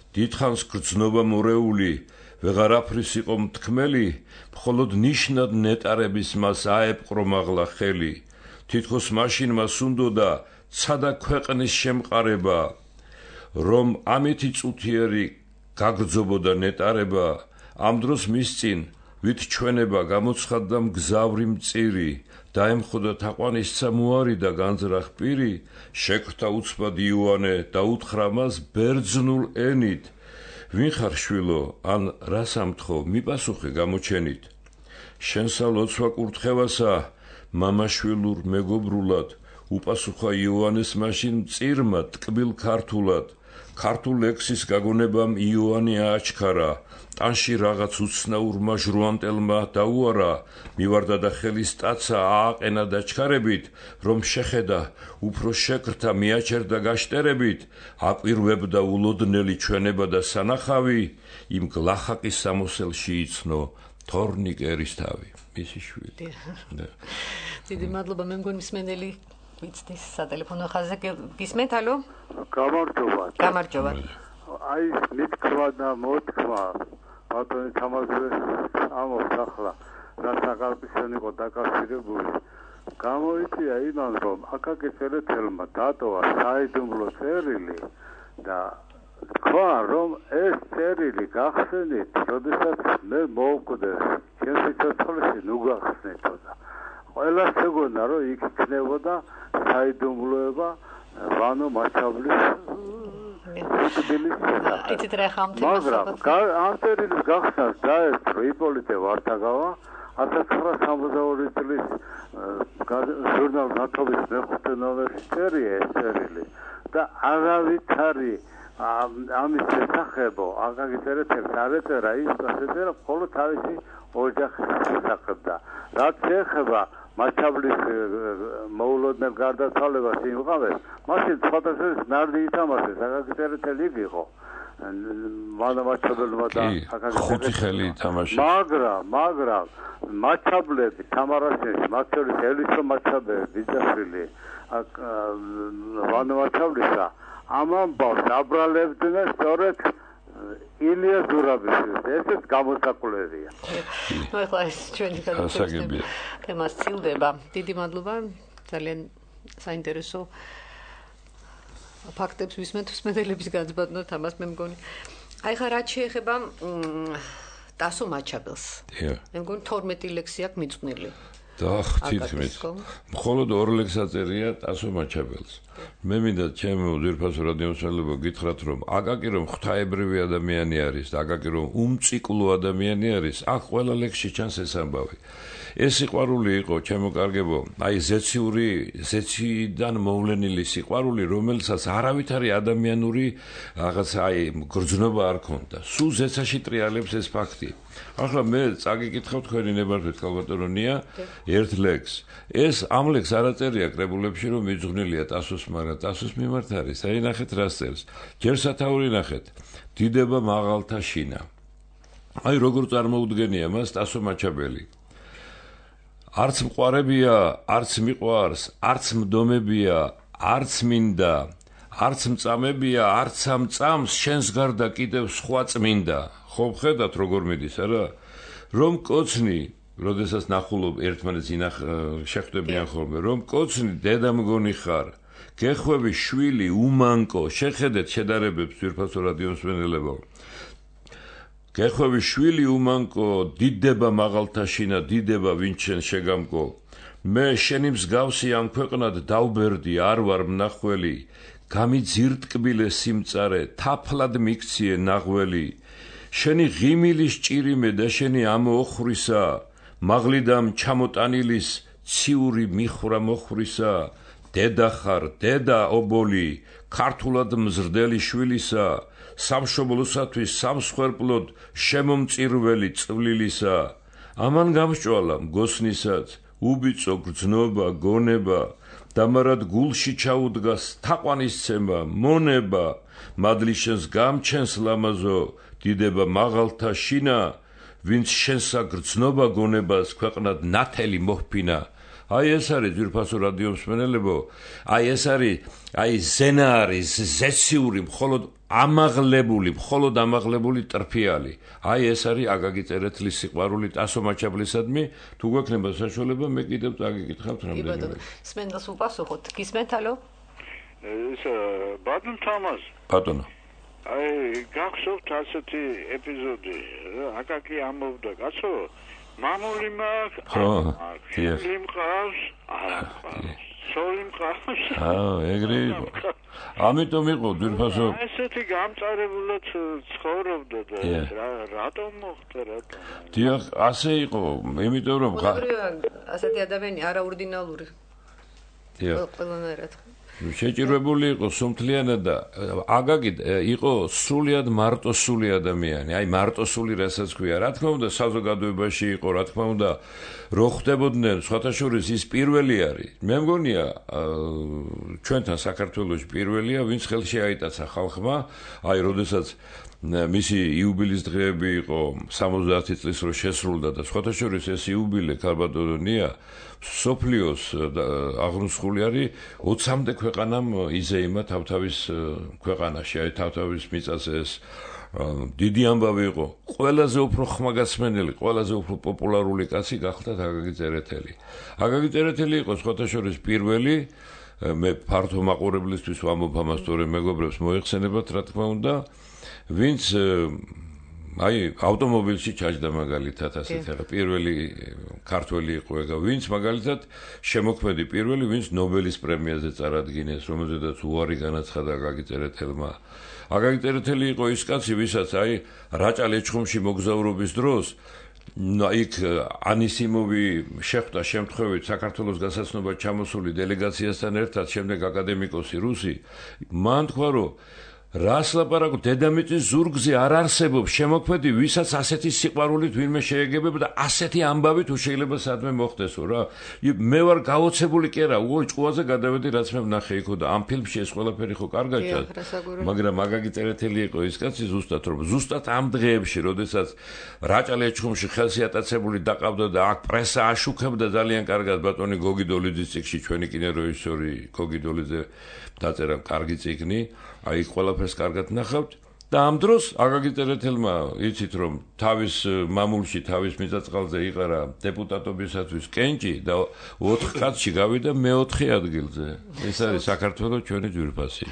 დიდხანს გრძნობა მორეული, ვეღარაფრის იყო მთქმელი, მხოლოდ ნიშნად ნეტარების მას აეპყრო მაღლა ხელი. თითქოს მაშინ მას უნდოდა ცადა ქვეყნის შემყარება, რომ ამითი წუთიერი გაგრძობოდა ნეტარება, ამ დროს მის წინ ვით ჩვენება გამოცხადდა მგზავრი მწირი, დაემხოდა თაყვანისცა მოარი და განძრახ პირი, შეკვთა უცბად იოანე და უთხრა მას ბერძნულ ენით, ვინ ხარ შვილო, ან რას ამთხო, მიპასუხე გამოჩენით. შენსა ლოცვა კურთხევასა, მამაშვილურ მეგობრულად უპასუხა იოანეს მაშინ მწირმა ტკბილ ქართულად ქართულ ლექსის გაგონებამ იოანე ააჩქარა ტანში რაღაც უცნაურმა ჟრუანტელმა დაუარა მივარდა და ხელის ტაცა ააყენა დაჩქარებით რომ შეხედა უფრო შეკრთა მიაჩერდა გაშტერებით აპირვებდა ულოდნელი ჩვენება და სანახავი იმ გლახაკის სამოსელში იცნო თორნიკ ერისთავი მისი შვილი დიდი მადლობა მე მგონი მსმენელი ვიცდის სატელეფონო ხაზზე გისმენთ ალო გამარჯობა გამარჯობა აი მithქვა და მოთქვა ბატონი თამაზზე ამობს ახლა რა საკალპისთან იყო დაკავშირებული გამოიწვია იმან რომ აკაკი წერეთელმა დატოვა საიდუმლო წერილი და თქვა რომ ეს წერილი გახსენით როდესაც მე მოვკვდე ჩემს სიცოცხლეში ნუ გახსნეთო და ყველას ეგონა რომ იქ იქნებოდა საიდუმლოება ვანო მაჩაბლის იცით რა ხამთი მაგრამ ამ წერილის გახსნას დაესწრო იპოლიტე ვარდაგავა ათას ცხრაასი სამოცდაორი წლის ჟურნალ ნათობის მეხუთე ნომერში წერია ეს წერილი და არავითარი ამის შესახებო აკაკი წერეთელს არ ეწერა ის ეწერა მხოლოდ თავისი ოჯახის შესახებ და რაც ეხება მაჩაბლის მოულოდნელ გარდაცვალებას იმყავეს მაშინ სხვადასხვა ნარდი ითამაშეს აკაკი წერეთელი იყო მანა მაჩაბელმა და აკაკი ხუთი ხელი ითამაშეს მაგრამ მაგრამ მაჩაბლები თამარაშენში მათ შორის ელისო მაჩაბელი ბიძაშვილი მანა მაჩაბლისა ამ ამბავს აბრალებდნენ სწორედ ილია ზურაბიშვილს ესეც გამოსაკვლევია ნუ ახლა ეს ჩვენი განსაკუთრებული თემა სცილდება დიდი მადლობა ძალიან საინტერესო ფაქტებს ვისმენთ მსმენელების განსბატონოთ ამას მე მგონი აი ხა რაც შეეხება ტასო მაჩაბელს მე მგონი თორმეტი ლექსი აქვს მიძღვნილი და თითქმის მხოლოდ ორ ლექსს აწერია ტასო მაჩაბელს მე მინდა ჩემო ძვირფასო რადიომსმენელებო გითხრათ რომ აკაკი რომ ღვთაებრივი ადამიანი არის და აკაკი რომ უმციკლო ადამიანი არის აქ ყველა ლექსში ჩანს ეს ამბავი ეს სიყვარული იყო ჩემო კარგებო აი ზეციური ზეციდან მოვლენილი სიყვარული რომელსაც არავითარი ადამიანური რაღაც აი გრძნობა არ ქონდა სულ ზეცაში ტრიალებს ეს ფაქტი ახლა მე წაგიკითხავ თქვენი ნებართვით კალბატონია ერთ ლექს ეს ამ ლექს არ აწერია კრებულებში რომ მიძღვნილია ტასოს მაგრამ ტასოს მიმართ არის აი ნახეთ რა წერს ჯერ სათაური ნახეთ დიდება მაღალთა შინა აი როგორ წარმოუდგენია მას ტასო მაჩაბელი არც მყარებია არც მიყვარს არც მდომებია არც მინდა არც მწამებია არც ამ წამს შენს გარდა კიდევ სხვა წმინდა ხო ხედავთ როგორ მიდის არა რომ კოცნი როდესაც ნახულობ ერთმანეთს ინახ შეხვდებიან ხოლმე რომ კოცნი დედა მგონი ხარ გეხვევი შვილი უმანკო შეხედეთ შედარებებს ძვირფასო რადიომსმენელებო გეხვევი შვილი უმანკო დიდება მაღალთა შინა დიდება ვინც შენ შეგამკო მე შენი მსგავსი ამ ქვეყნად დავბერდი არ ვარ მნახველი გამიძირტკბილე სიმწარე თაფლად მიქციე ნაღველი შენი ღიმილის ჭირიმე და შენი ამოხრისა მაღლიდამ ჩამოტანილის ციური მიხრა მოხრისა დედა ხარ დედა ობოლი ქართულად მზრდელი შვილისა სამშობლოსათვის სამსხვერპლოდ შემომწირველი წვლილისა ამან გამსჭვალა მგოსნისაც უბიწო გრძნობა გონება დამარად გულში ჩაუდგას თაყვანისცემა მონება მადლიშენს გამჩენს ლამაზო დიდება მაღალთა შინა ვინც შენსა გრძნობა გონებას ქვეყნად ნათელი მოჰფინა აი ეს არის ძვირფასო რადიომსმენელებო აი ეს არის აი ზენა არის ზეციური მხოლოდ ამაღლებული მხოლოდ ამაღლებული ტრფიალი აი ეს არის აკაკი წერეთლის სიყვარული ტასო მაჩაბლისადმი თუ გვექნება საშუალება მე კიდევ წაგიკითხავთ რამდენიმე სმენდას უპასუხოთ გისმენთ ალო ეს ბატონ თამაზ ბატონო აი გახსოვთ ასეთი ეპიზოდი აკაკი ამბობდა კაცო მამული მაქვს ხო იმ ყავს არა სოიმ ყავს. აა, ეგრე იყო. ამიტომ იყო ძვირფასო. ესეთი გამწარებულად ცხოვრობდა და რატომ მოხდა რატომ? დიახ, ასე იყო, იმიტომ რომ ასეთი ადამიანი არაორდინალური. დიახ. ყველანაირად. შეჭირვებული იყო სუმთლიანად და აგაგი იყო სრულიად მარტოსული ადამიანი. აი მარტოსული რასაც ქვია. რა თქმა უნდა, საზოგადოებაში იყო, რა თქმა უნდა, რო ხდებოდნენ, სხვათა შორის ის პირველი არის. მე მგონია, ჩვენთან საქართველოში პირველია, ვინც ხელში აიტაცა ხალხმა, აი, როდესაც მისი იუბილის დღეები იყო სამოცდაათი წლის რო შესრულდა და სხვათა შორის ეს იუბილე ქალბატონია სოფლიოს აღრუსხული არის ოცამდე ქვეყანამ იზეიმა თავთავის ქვეყანაში, აი თავთავის მიწაზე ეს დიდი ამბავი იყო. ყველაზე უფრო ხმაგასმენელი, ყველაზე უფრო პოპულარული კაცი გახდა აგაგი წერეთელი. აგაგი წერეთელი იყო სხვათა შორის პირველი მე ფართო მაყურებლისთვის ვამბობ ამას, თორემ მეგობრებს მოიხსენებათ, რა თქმა უნდა, ვინც აი ავტომობილში ჩაჯდა მაგალითად ასეთ ახლა პირველი ქართველი იყო ეგა ვინც მაგალითად შემოქმედი პირველი ვინც ნობელის პრემიაზე წარადგინეს რომელზედაც უარი განაცხადა აგაგი წერეთელმა აგაგი წერეთელი იყო ის კაცი ვისაც აი რაჭა ლეჩხუმში მოგზაურობის დროს იქ ანისიმოვი შეხვდა შემთხვევით საქართველოს გასაცნობად ჩამოსული დელეგაციასთან ერთად შემდეგ აკადემიკოსი რუსი მან თქვა რომ რას ლაპარაკობ დედამიწის ზურგზე არ არსებობს შემოქმედი ვისაც ასეთი სიყვარულით ვინმე შეეგებება და ასეთი ამბავი თუ შეიძლება სადმე მოხდესო რა მე ვარ გაოცებული კი არა უო ჭკუაზე გადავედი რაც მე ვნახე იქო და ამ ფილმში ეს ყველაფერი ხო კარგად ჩანს მაგრამ მაგაგი წერეთელი იყო ის კაცი ზუსტად რომ ზუსტად ამ დღეებში როდესაც რაჭა ლეჩხუმში ხელსი ატაცებული დაყავდა და აქ პრესა აშუქებდა ძალიან კარგად ბატონი გოგი დოლიძის წიგნში ჩვენი კინორეჟისორი გოგი დოლიძე დაწერა კარგი წიგნი აი ყველაფერს კარგად ნახავთ და ამ დროს აგაგი წერეთელმა იცით რომ თავის მამულში თავის მიწაწყალზე იყარა დეპუტატობისათვის კენჭი და ოთხ კაცში გავიდა მეოთხე ადგილზე ეს არის საქართველოს ჩვენი ძვირფასი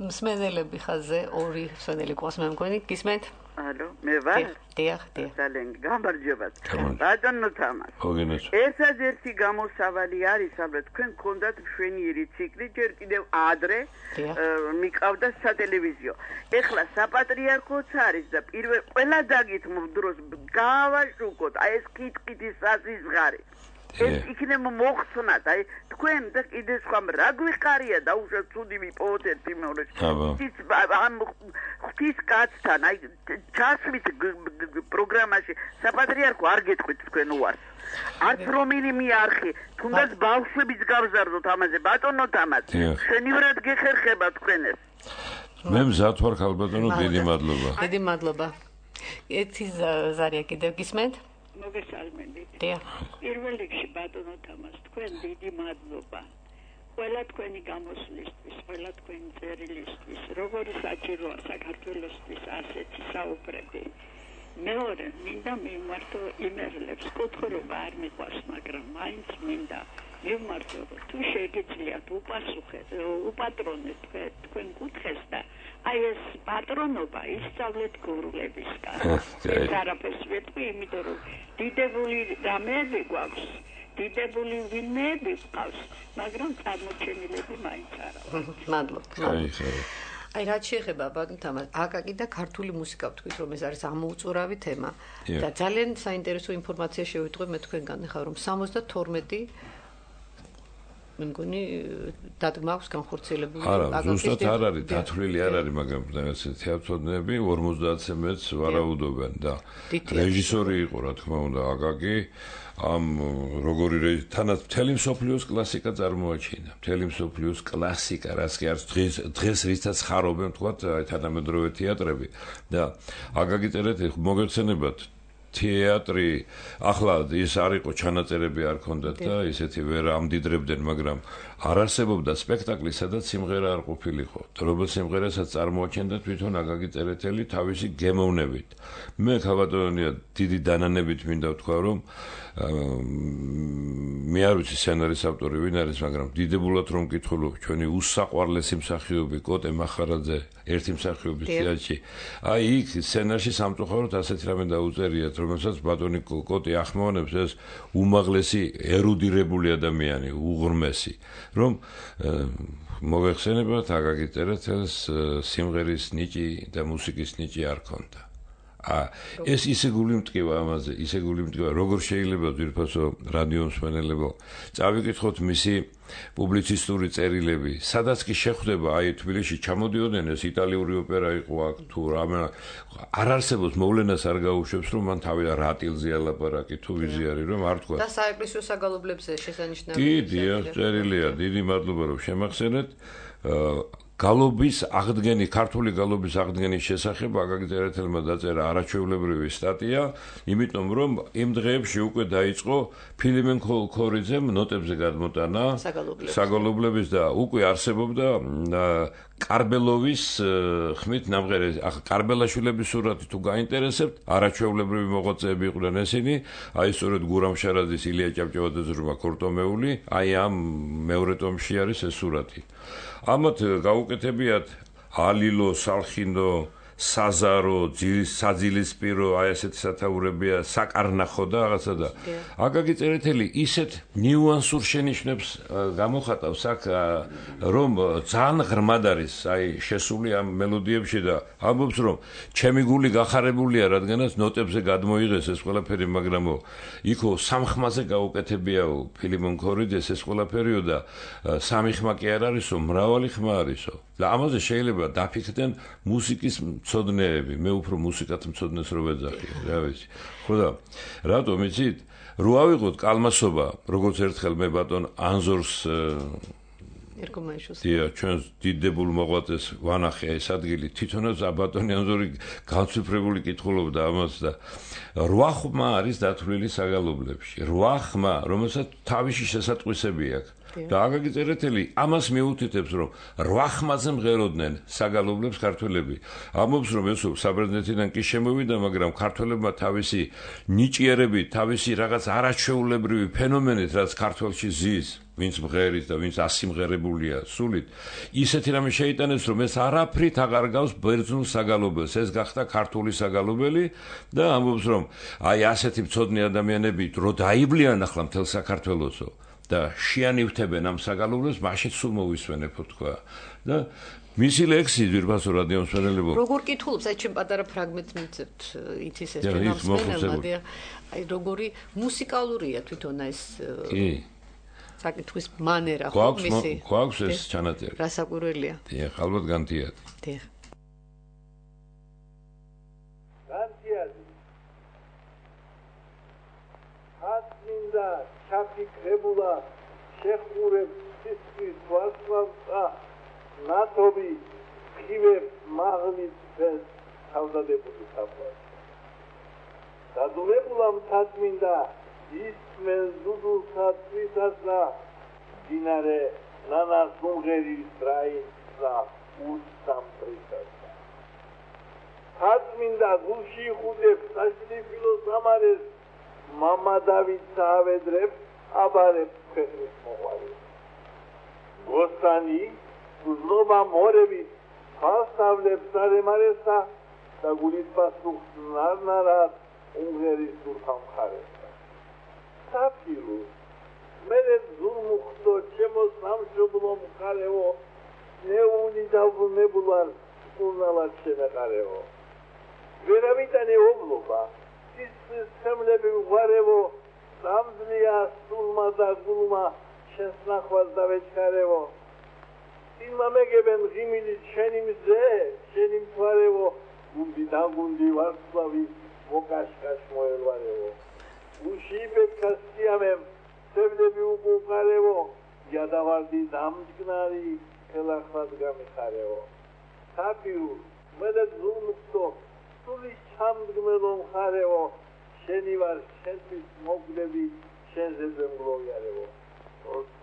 მსმენელები ხაზე ორი მსმენელი ყავს მე მგონი გისმენთ ალო მე ვარ დიახ დიახ ძალიან გამარჯობათ ბატონო თამარ ერთადერთი გამოსავალი არის ალბათ თქვენ გქონდათ მშვენიერი ციკლი ჯერ კიდევ ადრე მიყავდა სატელევიზიო ეხლა საპატრიარქოც არის და პირველ ყველა დაგითმობ დროს გავაშუქოთ აი ეს კითკითის საზღარი ეს იქნება მოხსნათ აი თქვენ და კიდე სხვა რა გვიყარია და უშო ცუდი მიპოვოთ ერთი მეორეში ის ამ ღვთის კაცთან აი ჩასვით პროგრამაში საპატრიარქო არ გეტყვით თქვენ უარს არც რომელიმე არხი თუნდაც ბავშვების გავზარდოთ ამაზე ბატონო თამარ შენივრად გეხერხება თქვენ ეს მე მზად ვარ ხალბატონო დიდი მადლობა დიდი მადლობა ერთი ზარია კიდევ გისმენთ მოგესალმებით. დიახ. პირველ რიგში ბატონო თამარ, თქვენ დიდი მადლობა. ყველა თქვენი გამოსვლისთვის, ყველა თქვენი წერილისთვის, როგორი საჭიროა საქართველოსთვის ასეთი საუბრები. მეორე, მინდა მივმართო იმერლებს, კუთხრობა არ მიყვარს, მაგრამ მაინც მინდა მივმართო, თუ შეგიძლიათ უპასუხეთ, უპატრონეთ თქვენ კუთხეს და აი ეს პატრონობა ისწავლეთ გურულებისგან. ეს არაფერს ვეტყვი, იმიტომ რომ დიდებული რამეები გვაქვს, დიდებული ვინმეები გვყავს, მაგრამ წარმოჩენილები მაინც არა. მადლობა. აი რაც შეეხება ბატონ თამარ, აკაკი და ქართული მუსიკა ვთქვით რომ ეს არის ამოუწურავი თემა და ძალიან საინტერესო ინფორმაცია შევიტყვი მე თქვენგან ახლა რომ სამოცდათორმეტი მე მგონი დადგმავს განხორციელებული არა ზუსტად არ არის დათვლილი არ არის მაგრამ თეატრონები ორმოცდაათზე მეც ვარაუდობენ და რეჟისორი იყო რა თქმა უნდა აკაკი ამ როგორი თანაც მთელი მსოფლიოს კლასიკა წარმოაჩინა მთელი მსოფლიოს კლასიკა რაც კი არის დღეს დღეს რითაც ხარობენ თქვა აი თანამედროვე თეატრები და აკაკი წერეთელი მოგეცენებათ თეატრი ახლა ის არ იყო ჩანაწერები არ ქონდათ და ისეთი ვერ ამდიდრებდნენ მაგრამ არ არსებობდა სპექტაკლი სადაც სიმღერა არ ყოფილიყო რომელ სიმღერასაც წარმოაჩენდა თვითონ აკაკი წერეთელი თავისი გემოვნებით მე ქალბატონია დიდი დანანებით მინდა ვთქვა რომ მე არ ვიცი სცენარის ავტორი ვინ არის მაგრამ დიდებულად რომ მკითხულობ ჩვენი უსაყვარლესი მსახიობი კოტე მახარაძე ერთი მსახიობის თეატრში. აი იქ სცენარში სამწუხაროდ ასეთი რამე დაუწერიათ, რომელსაც ბატონი კოტი ახმოვანებს ეს უმაღლესი ერუდირებული ადამიანი, უღრმესი, რომ მოგეხსენებათ აკაკი წერეთელს სიმღერის ნიჭი და მუსიკის ნიჭი არ ქონდა. ა ეს ისე გული მტკივა ამაზე, ისე გული მტკივა, როგორ შეიძლება ძირფასო რადიო მსმენელებო წავიკითხოთ მისი პუბლიცისტური წერილები, სადაც კი შეხვდება აი თბილისში ჩამოდიოდნენ ეს იტალიური ოპერა იყო აქ თუ რამე არ არსებობს მოვლენას არ გაუშვებს რომ მან თავი რატილზე ალაპარაკი თუ ვიზიარი რომ არ თქვა და საეკლესიო საგალობლებზე შესანიშნავია. კი, დიახ, წერილია, დიდი მადლობა რომ შემახსენეთ. გალობის აღდგენი, ქართული გალობის აღდგენის შესახებ აკაკი წერეთელმა დაწერა არაჩვეულებრივი სტატია, იმიტომ რომ იმ დღეებში უკვე დაიწყო ფილიმენ ქორიძემ ნოტებზე გადმოტანა საგალობლების და უკვე არსებობდა კარბელოვის ხმით ნამღერი, კარბელაშვილების სურათი თუ გაინტერესებთ, არაჩვეულებრივი მოღვაწეები იყვნენ ესენი, აი სწორედ გურამ შარაძის, ილია ჭავჭავაძის რომა ქორტომეული, აი ამ მეორე ტომში არის ეს სურათი. ამათ გაუკეთებიათ ალილო, სალხინო, საზარო, საძილისპირო, აი ესეთი სათაურებია, საკარნახო და რაღაცა და აკაკი წერეთელი ისეთ ნიუანსურ შენიშვნებს გამოხატავს აქ, რომ ძალიან ღრმად არის აი შესული ამ მელოდიებში და ამბობს რომ ჩემი გული გახარებულია, რადგანაც ნოტებზე გადმოიღეს ეს ყველაფერი, მაგრამ იქო სამხმაზე გაუკეთებიაო ფილიმონ ქორიძეს ეს ყველაფერიო და სამი ხმა კი არ არისო, მრავალი ხმა არისო. და ამაზე შეიძლება დაფიქრდნენ მუსიკის მცოდნეები, მე უფრო მუსიკათ მცოდნეს რო ვეძახი, რა ვიცი. ხო და რატომ იცით? რო ავიღოთ კალმასობა, როგორც ერთხელ მე ბატონ ანზორს ერგომაიშვილს. დიახ, ჩვენს დიდებულ მოღვაწეს ვანახე ეს ადგილი, თვითონაც ბატონი ანზორი განცვიფრებული კითხულობდა ამას და რვა ხმა არის დათვლილი საგალობლებში. რვა ხმა, რომელსაც თავისი შესატყვისები აქვს. და აკაკი წერეთელი ამას მიუთითებს რომ რვა ხმაზე მღეროდნენ საგალობლებს ქართველები. ამბობს რომ ეს საბრერძნეთიდან კი შემოვიდა, მაგრამ ქართველებმა თავისი ნიჭიერებით, თავისი რაღაც არაჩვეულებრივი ფენომენით, რაც ქართველში ზის, ვინც მღერის და ვინც ასიმღერებულია სულით, ისეთი რამე შეიტანეს რომ ეს არაფრით აღარ გავს ბერძნულ საგალობელს, ეს გახდა ქართული საგალობელი და ამბობს რომ აი ასეთი მცოდნე ადამიანები რო დაივლიან ახლა მთელ საქართველოსო და შეანივთებენ ამ საგალობლებს, მაშინ სულ მოვისვენებო თქვა. და მისი ლექსი ძირფასო რადიო მსმენელებო. როგორ კითხულობს, აი ჩემ პატარა ფრაგმენტს მიცემთ ითის ეს ჩვენამდე, აი როგორი მუსიკალურია თვითონ ეს კი საკითხვის მანერა ხო მისი. გვაქვს ეს ჩანაწერი. რასაკვირველია. დიახ, ალბათ განთიადი. დიახ. განთიადი. ატმინდა ჩაფიქრებულა შეხურებს სისხლის ვარსკვლავსა ნათობი ხივებს მაღლის ფენს თავდადებული საფლავს. დადულებულა მთაწმინდა ისმენს დუდულსა წვისასა დინარე ნანას უმღერის რაინსა უსამტრისასა. მთაწმინდა გულში იხუტებს საშლიფილო სამარეს მამა დავით საავედრებს აბარებს ქვეყნის მოყვარეს. გოსტანი უზნობა მორებით ფასავლებს არემარესა და გულის პასუხს ნარნარად უმღერის სურთა მხარესა. საფილო მერე ზურმუხტო ჩემო სამშობლო მხარეო ნეული დაბრუნებულარ სკურნალად შემეყარეო. ვერავითანე ობლობა სისხლის ხემლები ვღარევო სამძლია სულმა და გულმა შენს ნახვას დავეჩქარევო. წინმა მეგებენ ღიმილით შენი მზე, შენი მთვარევო, გუნდი დაგუნდი ვარსკვლავი მოკაშკაშ მოელვარევო. გულში იბექა სიამემ სევდები უკუყარევო, იადავარდი დამჯგნარი ხელახლად გამიხარევო. საფიუ მედე ზურმუხტო სული ჩამდგმელო მხარეო, შენი ვარ შენთვის მოგდები შენზე ზემგლოვიარევო. ორს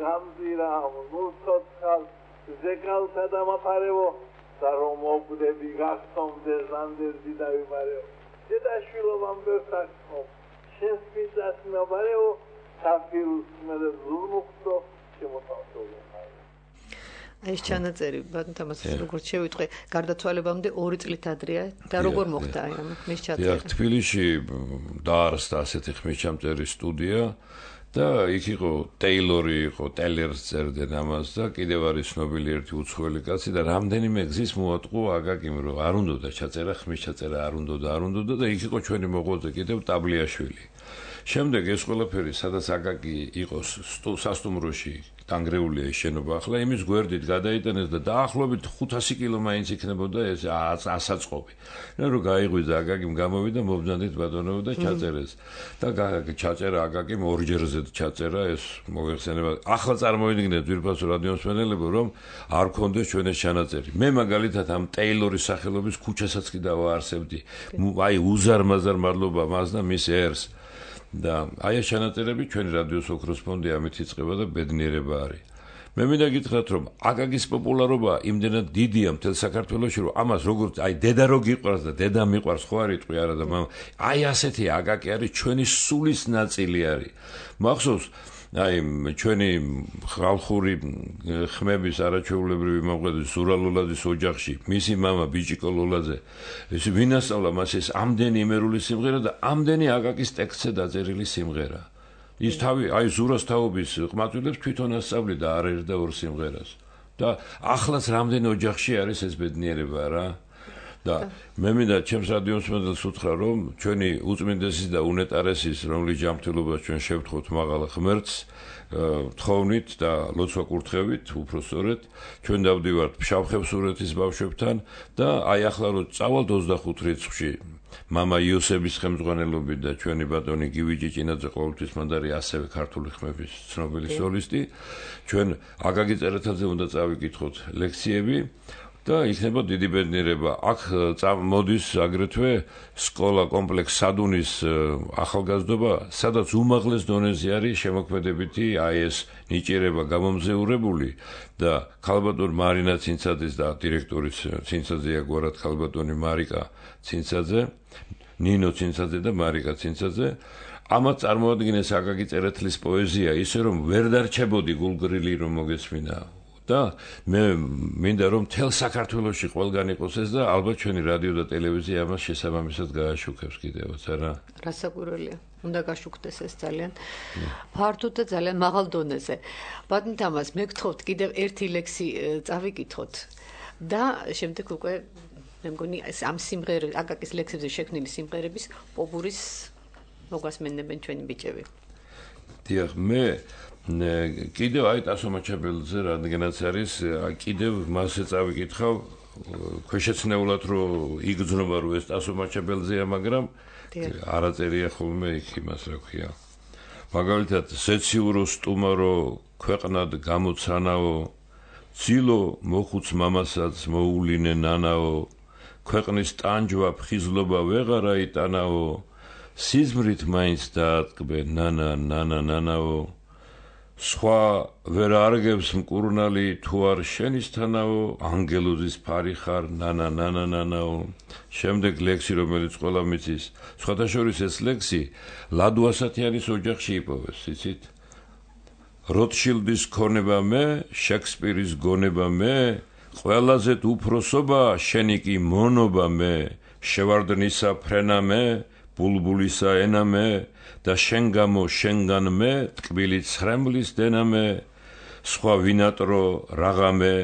გამზირა ნურცოცხალ ზეკალთა დამაფარევო და რომ მოგდები გახსოვდეს ანდერდი დავიმარევო. დედაშვილობამ ვერტახო შენთვის დასმავარევო. საფიუს მედე ზურმუხტო შემოთავსოვე. ეს ჩანაწერი ბატონ თამაზის როგორც შევიტყვე გარდაცვალებამდე ორი წლით ადრეა და როგორ მოხდა აი ამ მის ჩაწერა. დიახ, თბილისში დაარსდა ასეთი ხმისჩამწერი სტუდია და იქ იყო ტეილორი, იყო ტელერს წერდნენ ამას და კიდევ არის ცნობილი ერთი უცხოელი კაცი და რამდენიმე გზის მოატყო აკაკიმ რომ არ უნდოდა ჩაწერა ხმისჩაწერა არ უნდოდა არ უნდოდა და იქ იყო ჩვენი მოღვაწე კიდევ ტაბლიაშვილი. შემდეგ ეს ყველაფერი სადაც აკაკი იყოს სასტუმროში დანგრეულია ეს შენობა ახლა იმის გვერდით გადაიტანეს და დაახლოებით ხუთასი კილო მაინც იქნებოდა ეს ასაწყობი. რა რომ გაიღვიძა აკაკიმ გამოვიდა მობრძანდით ბატონო და ჩაწერეს და ჩაწერა აკაკიმ ორჯერზე ჩაწერა ეს მოიხსენება. ახლა წარმოიდგინეთ ძვირფასო რადიომსმენელებო რომ არ გქონდეს ჩვენ ეს ჩანაწერი. მე მაგალითად ამ ტეილორის სახელობის ქუჩასაც კი დავაარსებდი. აი უზარმაზარ მადლობა მას და მის ერს. და აი ეს ჩანაწერები ჩვენი რადიოს ოქროს ფონდი ამით იწყება და ბედნიერება არის. მე მინდა გითხრათ რომ აკაკის პოპულარობა იმდენად დიდია მთელ საქართველოში რომ ამას როგორც აი დედა რო გიყვარს და დედა მიყვარს ხო არ იტყვი არა და მამა აი ასეთი აკაკი არის ჩვენი სულის ნაწილი არის. მახსოვს აი ჩვენი ხალხური ხმების არაჩვეულებრივი მომღერალი ზურა ლოლაძის ოჯახში მისი მამა ბიჭიკო ლოლაძე ეს ვინასწავლა მას ეს ამდენი იმერული სიმღერა და ამდენი აკაკის ტექსტზე დაწერილი სიმღერა. ის თავი აი ზურას თაობის ყმაწვილებს თვითონ ასწავლიდა არ ერთ და ორ სიმღერას და ახლაც რამდენი ოჯახში არის ეს ბედნიერება რა. და მე მინდა ჩემს რადიომსმენელს უთხრა რომ ჩვენი უწმინდესის და უნეტარესის რომლის ჯანმრთელობას ჩვენ შევთხოვთ მაღალ ღმერთს თხოვნით და ლოცვა კურთხევით უпроსწორეთ ჩვენ დავდივართ ფშავ-ხევსურეთის ბავშვებთან და აი ახლა რომ წავალთ ოცდახუთ რიცხვში მამა იოსების ხელმძღვანელობით და ჩვენი ბატონი გივი ჭიჭინაძე ყოველთვის მანდარი ასევე ქართული ხმების ცნობილი სოლისტი ჩვენ აკაკი წერეთაძე უნდა წავიკითხოთ ლექციები და იქნება დიდი ბედნიერება. აქ მოდის აგრეთვე სკოლა კომპლექს სადუნის ახალგაზრდობა, სადაც უმაღლეს დონეზე არის შემოქმედებითი აი ეს ნიჭიერება გამომზეურებული და ქალბატონ მარინა ცინცაძის და დირექტორის ცინცაძეა გვარად ქალბატონი მარიკა ცინცაძე, ნინო ცინცაძე და მარიკა ცინცაძე ამათ წარმოადგენს აკაკი წერეთლის პოეზია ისე რომ ვერ დარჩებოდი გულგრილი რომ მოგესმინა. და მე მინდა რომ თელ საქართველოში ყველგან იყოს ეს და ალბათ ჩვენი რადიო და ტელევიზია ამას შესაბამისად გააშუქებს კიდევაც არა რასაკვირველია უნდა გაშუქდეს ეს ძალიან ფართოდ და ძალიან მაღალ დონეზე. ბატონ თამაზ მე გთხოვთ კიდევ ერთი ლექსი წავიკითხოთ და შემდეგ უკვე მე მგონი ამ სიმღერების აკაკის ლექსებზე შექმნილი სიმღერების პოპურის მოგასმენებენ ჩვენი ბიჭები. დიახ მე კიდევ აი ტასომაჩაბელზე რადგანაც არის კიდევ მასე წავიკითხავ ქვეშეცნეულად რომ იგრძნობა რომ ეს ტასომაჩაბელზეა მაგრამ არა წერია ხოლმე იქ იმას რა ქვია მაგალითად სეციურო სტუმარო ქვეყნად გამოცანაო ცილო მოხუც მამასაც მოულინე ნანაო ქვეყნის ტანჯვა ფხიზლობა ვეღარა იტანაო სიზმრით მაინც დაატკბე ნანა ნანა ნანაო სხვა ვერ არგებს მკურნალი თუ არ შენისთანაო ანგელოზის ფარი ხარ ნანა ნანა ნანაო შემდეგ ლექსი რომელიც ყველა მიცის სხვადასხვა ეს ლექსი ლადო ასათიანის ოჯახში იპოვეს იცით როტშილდის ქონება მე შექსპირის გონება მე ყველაზე უფროსობა შენი კი მონობა მე შევარდნისა ფრენა მე ბულბულისა ენა მე და შენ გამო შენგან მე ტკბილი ცხრემლის დენა მე სხვა ვინატრო რაღაცე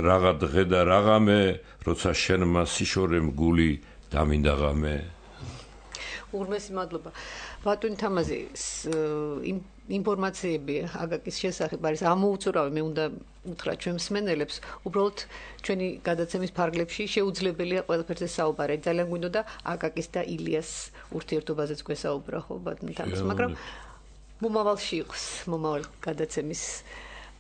რაღა დღე და რაღაცე როცა შენმა სიშორემ გული დამინდაღამე. უღრმესი მადლობა. ბატონი თამაზი ინფორმაციები აკაკის შესახებ არის ამოუწურავი მე უნდა უთხრა ჩვენ მსმენელებს უბრალოდ ჩვენი გადაცემის ფარგლებში შეუძლებელია ყველაფერზე საუბარი ძალიან გვინდოდა აკაკის და ილიას ურთიერთობაზეც გვესაუბრა ხო ბატონი თამაზი მაგრამ მომავალში იყოს მომავალ გადაცემის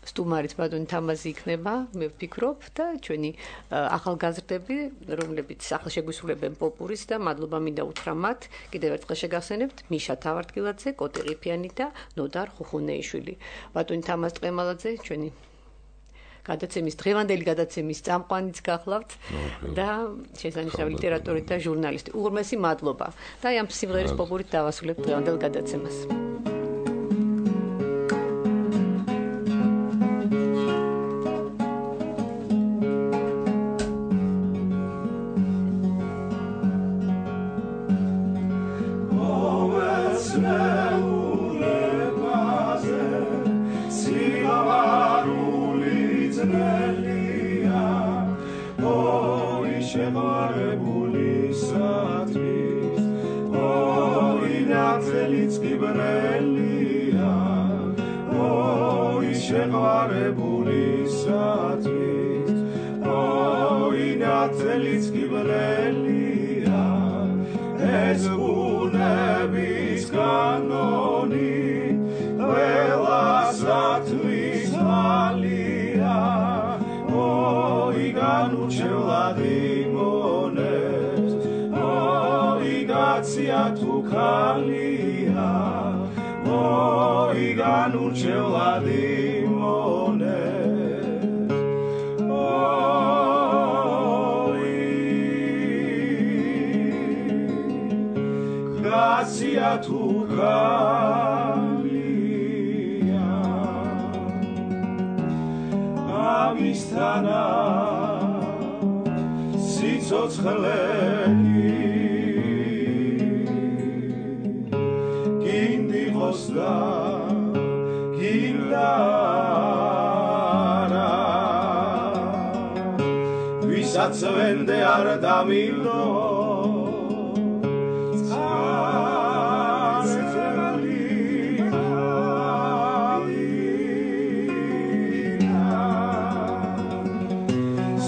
სტუმარიც ბატონი თამაზი იქნება მე ვფიქრობ და ჩვენი ახალგაზრდები რომლებიც ახლა შეგვისრულებენ პოპურის და მადლობა მინდა უთხრა მათ კიდევ ერთხელ შეგახსენებთ მიშა თავარდგილაძე კოტე ყიფიანი და ნოდარ ხუხუნეიშვილი ბატონი თამაზ ტყემალაძე ჩვენი გადაცემის დღევანდელი გადაცემის წამყვანიც გახლავთ და შესანიშნავი ლიტერატურის და ჟურნალისტი უღრმესი მადლობა და ამ სიმღერის პოპურით დავასრულებთ დღევანდელ გადაცემას შეყვარებულისათვის ოი ნათლიც კიბლელია ეს ბუნების კანონი ყველასათვის მალია ოი განურჩევლად იმონებს ოი გაცია თუ ქალია ოი განურჩევლად იმონებს ოი გაცია თუ ქალია ამისთანა სიცოცხლე და გინდარა ვისაც ვენდე არ დამილო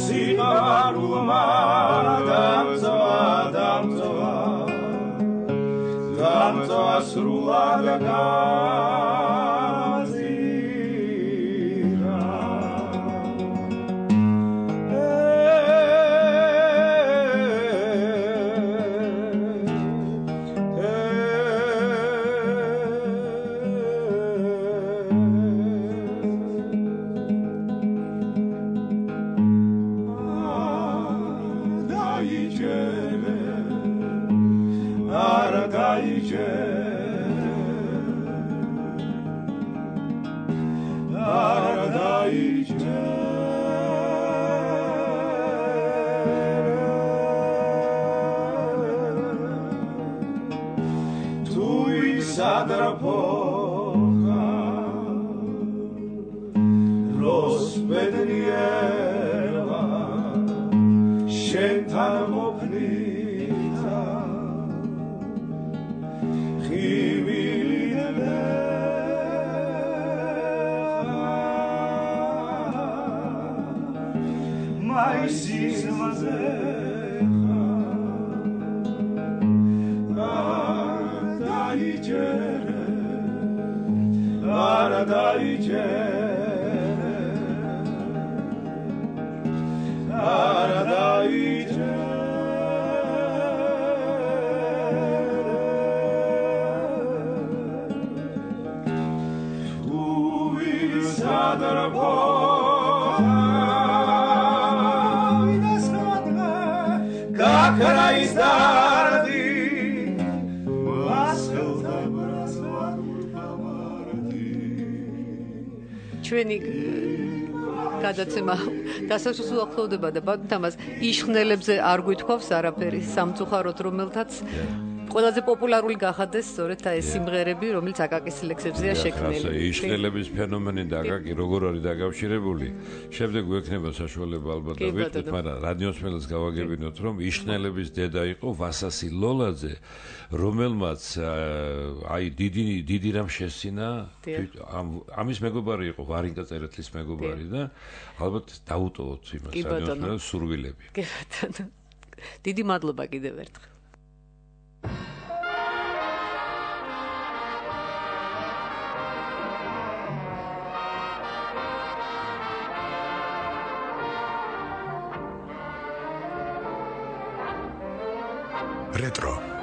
სიყვარულმა დამწვა დამწვა დამწვა სრულად გაზირა დაიჯერე არ დაიჯერე სადრაფოხა როსბედნიერვა შენთან მოფნითა ხივილიდე მაისის მაზეხა დაიჯერე არ დაიჯერე არ დაიჯერე თუ ვისადრაფო გაქრაის დარდი ჩვენი გადაცემა დასასრულს უახლოვდება და ბატონთამას იშხნელებზე არ გვითქვავს არაფერი სამწუხაროდ რომელთაც ყველაზე პოპულარული გახადეს სწორედ ეს სიმღერები რომელიც აკაკის ლექსებზეა შექმნილი. იშხნელების ფენომენი და აკაკი როგორ არის დაკავშირებული? შემდეგ გვექნება საშუალება ალბათ და ვიტყვით, მაგრამ რადიოსმენელს გავაგებინოთ რომ იშხნელების დედა იყო ვასასი ლოლაძე, რომელმაც აი დიდი დიდი რამ შესცინა ამის მეგობარი იყო ვარინკა წერეთლის მეგობარი და ალბათ დაუტოვოთ იმას რადიოსმენელს სურვილები. კი ბატონო. დიდი მადლობა კიდევ ერთხელ. Retro